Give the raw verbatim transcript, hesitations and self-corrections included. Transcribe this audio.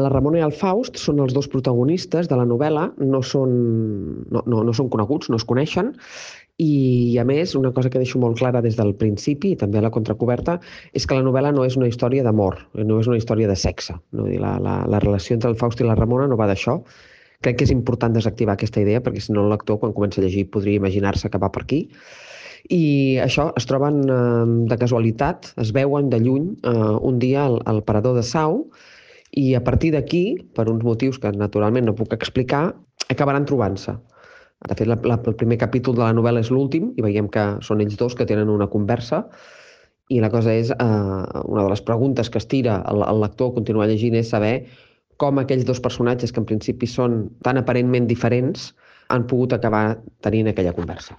la Ramona i el Faust són els dos protagonistes de la novel·la, no són, no, no, no són coneguts, no es coneixen, i a més, una cosa que deixo molt clara des del principi i també a la contracoberta és que la novel·la no és una història d'amor, no és una història de sexe. No? La, la, la relació entre el Faust i la Ramona no va d'això. Crec que és important desactivar aquesta idea perquè si no el lector quan comença a llegir podria imaginar-se que va per aquí. I això, es troben eh, de casualitat, es veuen de lluny eh, un dia al, al parador de Sau i a partir d'aquí, per uns motius que naturalment no puc explicar, acabaran trobant-se. De fet, la, la, el primer capítol de la novel·la és l'últim i veiem que són ells dos que tenen una conversa i la cosa és, eh, una de les preguntes que es tira el, el lector a continuar llegint és saber com aquells dos personatges que en principi són tan aparentment diferents han pogut acabar tenint aquella conversa.